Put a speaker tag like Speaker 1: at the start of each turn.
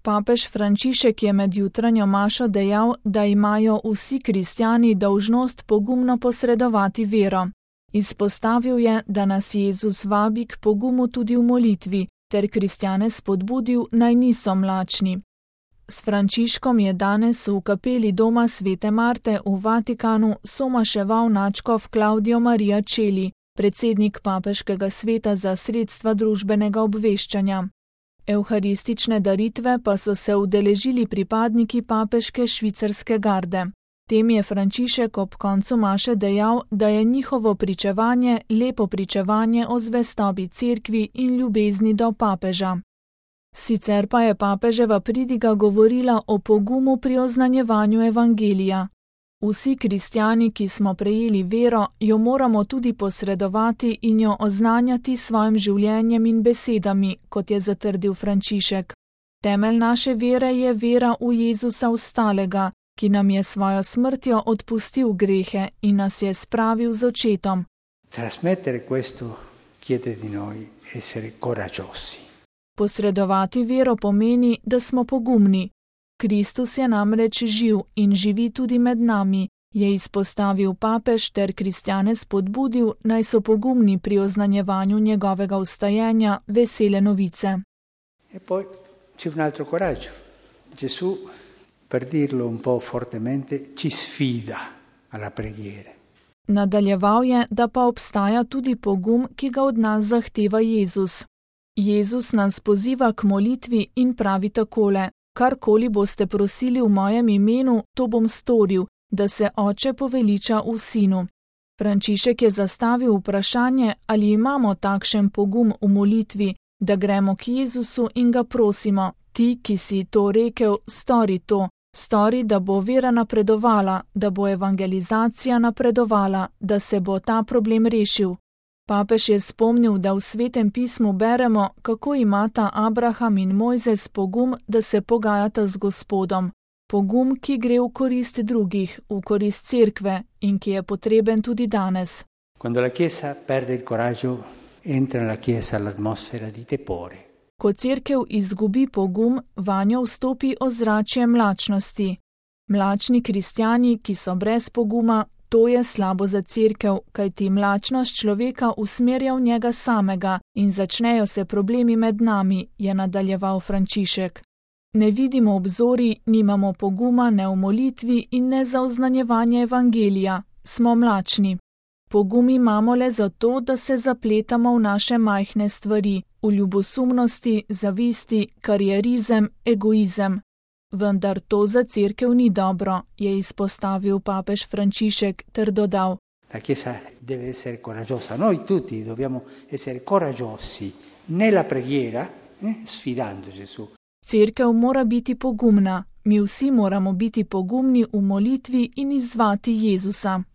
Speaker 1: Papež Frančišek je med jutranjo mašo dejal, da imajo vsi kristjani dolžnost pogumno posredovati vero. Izpostavil je, da nas Jezus vabi k pogumu tudi v molitvi, ter kristjane spodbudil, naj niso mlačni. S Frančiškom je danes v kapeli doma svete Marte v Vatikanu somaševal nadškof Claudio Maria Celli, predsednik papeškega sveta za sredstva družbenega obveščanja. Evharistične daritve pa so se udeležili pripadniki papeške švicarske garde. Tem je Frančišek ob koncu maše dejal, da je njihovo pričevanje lepo pričevanje o zvestobi cerkvi in ljubezni do papeža. Sicer pa je papeževa pridiga govorila o pogumu pri oznanjevanju evangelija. Vsi kristjani, ki smo prejeli vero, jo moramo tudi posredovati in jo oznanjati s svojim življenjem in besedami, kot je zatrdil Frančišek. Temelj naše vere je vera v Jezusa vstalega, ki nam je svojo smrtjo odpustil grehe in nas je spravil z očetom.
Speaker 2: Trasmettere questo chiede di noi essere coraggiosi.
Speaker 1: Posredovati vero pomeni, da smo pogumni. Kristus je namreč živ in živi tudi med nami, je izpostavil papež ter kristjane spodbudil, naj so pogumni pri oznanjevanju njegovega vstajenja vesele novice.
Speaker 2: E poi c'è un altro coraggio. Gesù, per dirlo un po' fortemente, ci sfida alla preghiera.
Speaker 1: Nadaljeval je, da pa obstaja tudi pogum, ki ga od nas zahteva Jezus. Jezus nas poziva k molitvi in pravi takole: karkoli boste prosili v mojem imenu, to bom storil, da se Oče poveliča v Sinu. Frančišek je zastavil vprašanje, ali imamo takšen pogum v molitvi, da gremo k Jezusu in ga prosimo: ti, ki si to rekel, stori to, stori, da bo vera napredovala, da bo evangelizacija napredovala, da se bo ta problem rešil. Papež je spomnil, da v Svetem pismu beremo, kako imata Abraham in Mojzes pogum, da se pogajata z Gospodom. Pogum, ki gre v korist drugih, v korist cerkve in ki je potreben tudi danes.
Speaker 2: Quando la Chiesa perde il coraggio, entra nella Chiesa l'atmosfera di tepore.
Speaker 1: Ko cerkev izgubi pogum, vanjo vstopi ozračje mlačnosti. Mlačni kristjani, ki so brez poguma, to je slabo za cerkev, kajti mlačnost človeka usmerja v njega samega in začnejo se problemi med nami, je nadaljeval Frančišek. Ne vidimo obzorij, nimamo poguma ne v molitvi in ne za oznanjevanje evangelija, smo mlačni. Pogum imamo le zato, da se zapletamo v naše majhne stvari, v ljubosumnosti, zavisti, karierizem, egoizem. Vendar to za cerkev ni dobro, je izpostavil papež Frančišek ter dodal:
Speaker 2: La Chiesa deve essere coraggiosa, noi tutti dobbiamo essere coraggiosi nella preghiera, sfidando Gesù.
Speaker 1: Cerkev mora biti pogumna, mi vsi moramo biti pogumni v molitvi in izzvati Jezusa.